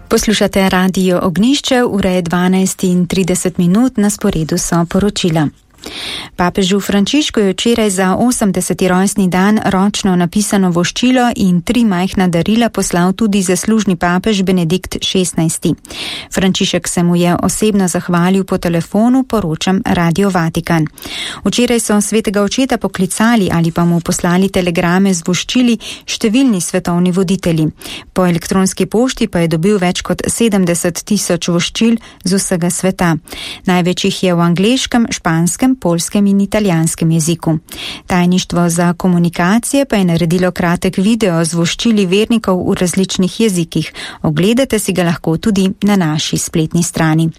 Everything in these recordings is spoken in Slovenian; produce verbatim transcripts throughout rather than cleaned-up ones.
Poslušate Radio Ognišče, ura je dvanajst in trideset minut, na sporedu so poročila. Papežu Frančišku je včeraj za osemdeseti rojstni dan ročno napisano voščilo in tri majhna darila poslal tudi zaslužni papež Benedikt šestnajsti. Frančišek se mu je osebno zahvalil po telefonu, poročam Radio Vatikan. Včeraj so svetega očeta poklicali ali pa mu poslali telegrame z voščili številni svetovni voditelji. Po elektronski pošti pa je dobil več kot sedemdeset tisoč voščil z vsega sveta. Največ jih je v angleškem, španskem, polskem in italijanskem jeziku. Tajništvo za komunikacije pa je naredilo kratek video z voščili vernikov v različnih jezikih. Ogledate si ga lahko tudi na naši spletni strani.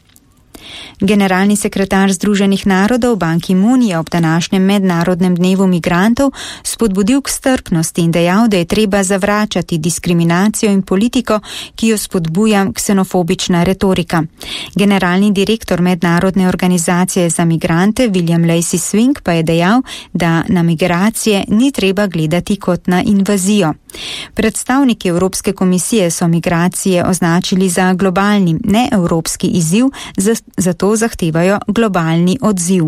Generalni sekretar Združenih narodov Ban Ki-moon je ob današnjem mednarodnem dnevu migrantov spodbudil k strpnosti in dejal, da je treba zavračati diskriminacijo in politiko, ki jo spodbuja ksenofobična retorika. Generalni direktor mednarodne organizacije za migrante William Lacey Swing pa je dejal, da na migracije ni treba gledati kot na invazijo. Predstavniki Evropske komisije so migracije označili za globalni, ne evropski izziv, zato zahtevajo globalni odziv.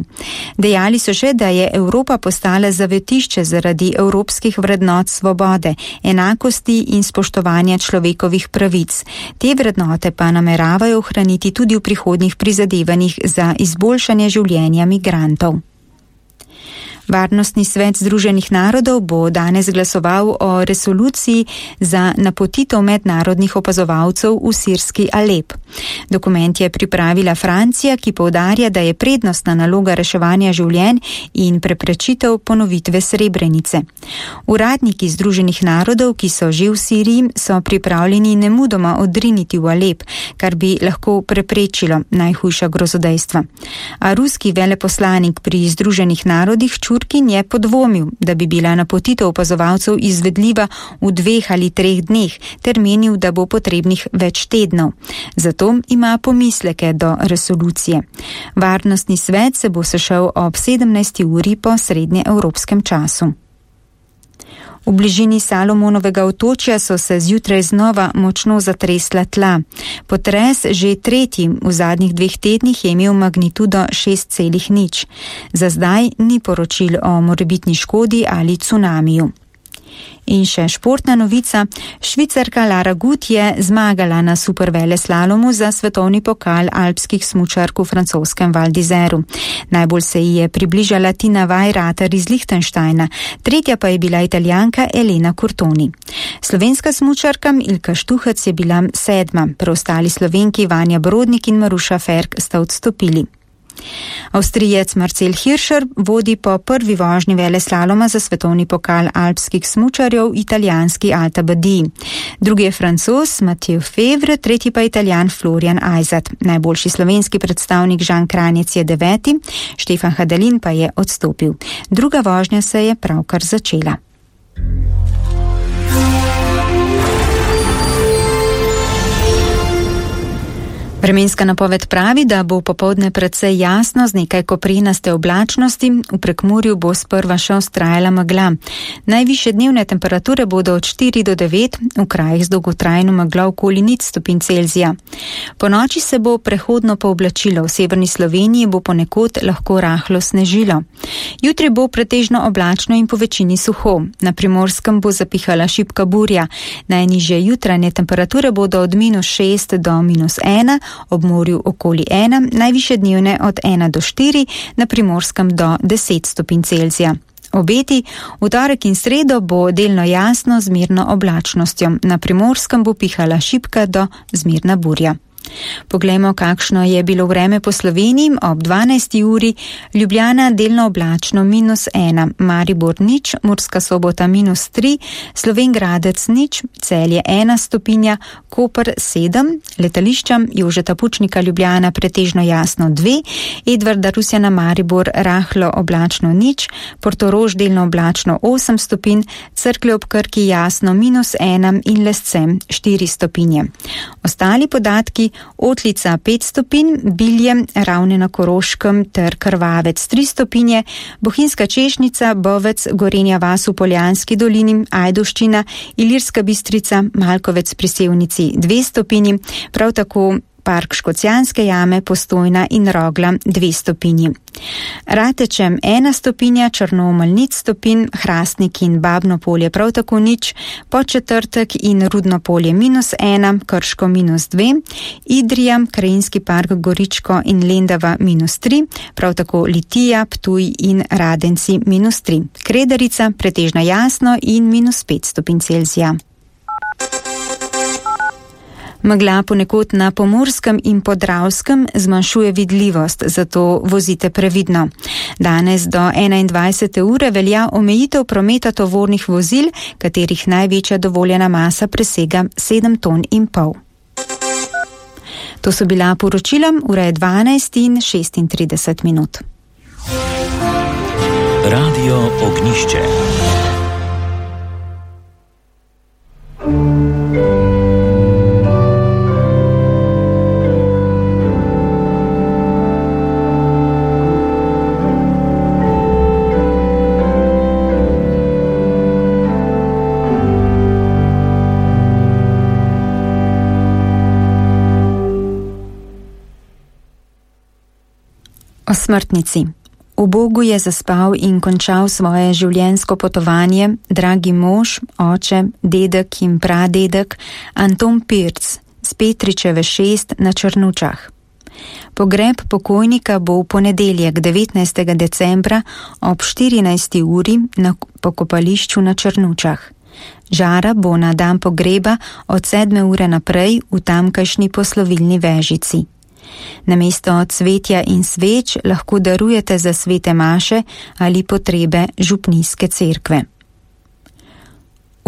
Dejali so še, da je Evropa postala zavetišče zaradi evropskih vrednot svobode, enakosti in spoštovanja človekovih pravic. Te vrednote pa nameravajo ohraniti tudi v prihodnjih prizadevanjih za izboljšanje življenja migrantov. Varnostni svet Združenih narodov bo danes glasoval o resoluciji za napotitev mednarodnih opazovalcev v sirski Alep. Dokument je pripravila Francija, ki poudarja, da je prednostna naloga reševanja življenj in preprečitev ponovitve Srebrenice. Uradniki Združenih narodov, ki so že v Siriji, so pripravljeni nemudoma odriniti v Alep, kar bi lahko preprečilo najhujša grozodejstva. A ruski veleposlanik pri Združenih narodih Čurkin je podvomil, da bi bila napotitev opazovalcev izvedljiva v dveh ali treh dneh, ter menil, da bo potrebnih več tednov. Zato ima pomisleke do resolucije. Varnostni svet se bo sešel ob sedemnajsti uri po srednjeevropskem času. V bližini Salomonovega otočja so se zjutraj znova močno zatresla tla. Potres, že tretji v zadnjih dveh tednih, je imel magnitudo šest celih nič. Za zdaj ni poročil o morebitni škodi ali cunamiju. In še športna novica. Švicarka Lara Gut je zmagala na superveleslalomu za svetovni pokal alpskih smučark v francoskem Val d'Iseru. Najbolj se ji je približala Tina Weirater iz Lichtensteina, tretja pa je bila Italijanka Elena Curtoni. Slovenska smučarka Ilka Štuhec je bila sedma, preostali Slovenki Vanja Brodnik in Maruša Ferk sta odstopili. Avstrijec Marcel Hirscher vodi po prvi vožnji veleslaloma za svetovni pokal alpskih smučarjev italijanski Alta Badiji. Drugi je Francoz Mathieu Fevre, tretji pa Italijan Florian Aizat. Najboljši slovenski predstavnik Žan Kranjec je deveti, Štefan Hadalin pa je odstopil. Druga vožnja se je pravkar začela. Vremenska napoved pravi, da bo popoldne precej jasno z nekaj koprenaste oblačnosti, v Prekmurju bo sprva še vztrajala megla. Najvišje dnevne temperature bodo od štiri do devet, v krajih z dolgotrajno meglo okoli nič stopinj Celzija. Po noči se bo prehodno pooblačilo, v severni Sloveniji bo ponekod lahko rahlo snežilo. Jutri bo pretežno oblačno in po večini suho, na Primorskem bo zapihala šibka burja. Najnižje jutranje temperature bodo od minus šest do minus ena, ob morju okoli ena, najvišje dnevne od ena do štiri, na Primorskem do deset stopinj Celzija. Obeti, v torek in sredo bo delno jasno z mirno oblačnostjo, na Primorskem bo pihala šibka do zmerna burja. Poglejmo, kakšno je bilo vreme po Sloveniji ob dvanajsti uri. Ljubljana delno oblačno minus ena, Maribor nič, Murska Sobota minus tri, Slovenj Gradec nič, Celje ena stopinja, Koper sedem, letališča Jožeta Pučnika Ljubljana pretežno jasno dve, Edvarda Rusjana Maribor rahlo oblačno nič, Portorož delno oblačno osem stopinj, Cerklje ob Krki jasno minus ena in Lesce štiri stopinje. Ostali podatki Otlica pet stopinj, Bilje, Ravne na Koroškem ter Krvavec tri stopinje, Bohinjska Češnica, Bovec, Gorenja vas v Poljanski dolini, Ajdovščina, Ilirska Bistrica, Malkovec pri Sevnici dve stopinji, prav tako Park Škocjanske jame, Postojna in Rogla dve stopinji. Ratečem ena stopinja, Črnomelj nič stopinj, Hrastnik in Babno polje prav tako nič, Podčetrtek in Rudno polje minus ena, Krško minus dve, Idrija, Krajinski park Goričko in Lendava minus tri, prav tako Litija, Ptuj in Radenci minus tri. Kredarica pretežno jasno in minus pet stopinj Celzija. Megla ponekod na Pomurskem in Podravskem zmanjšuje vidljivost, zato vozite previdno. Danes do enaindvajsete ure velja omejitev prometa tovornih vozil, katerih največja dovoljena masa presega sedem ton in pol. To so bila poročila, ura je dvanajst in šestintrideset minut. Radio Ognjišče. O smrtnici. V Bogu je zaspal in končal svoje življenjsko potovanje dragi mož, oče, dedek in pradedek Anton Pirc z Petričeve šest na Črnučah. Pogreb pokojnika bo v ponedeljek devetnajstega decembra ob štirinajsti uri na pokopališču na Črnučah. Žara bo na dan pogreba od sedme ure naprej v tamkajšnji poslovilni vežici. Namesto cvetja in sveč lahko darujete za svete maše ali potrebe župnijske cerkve.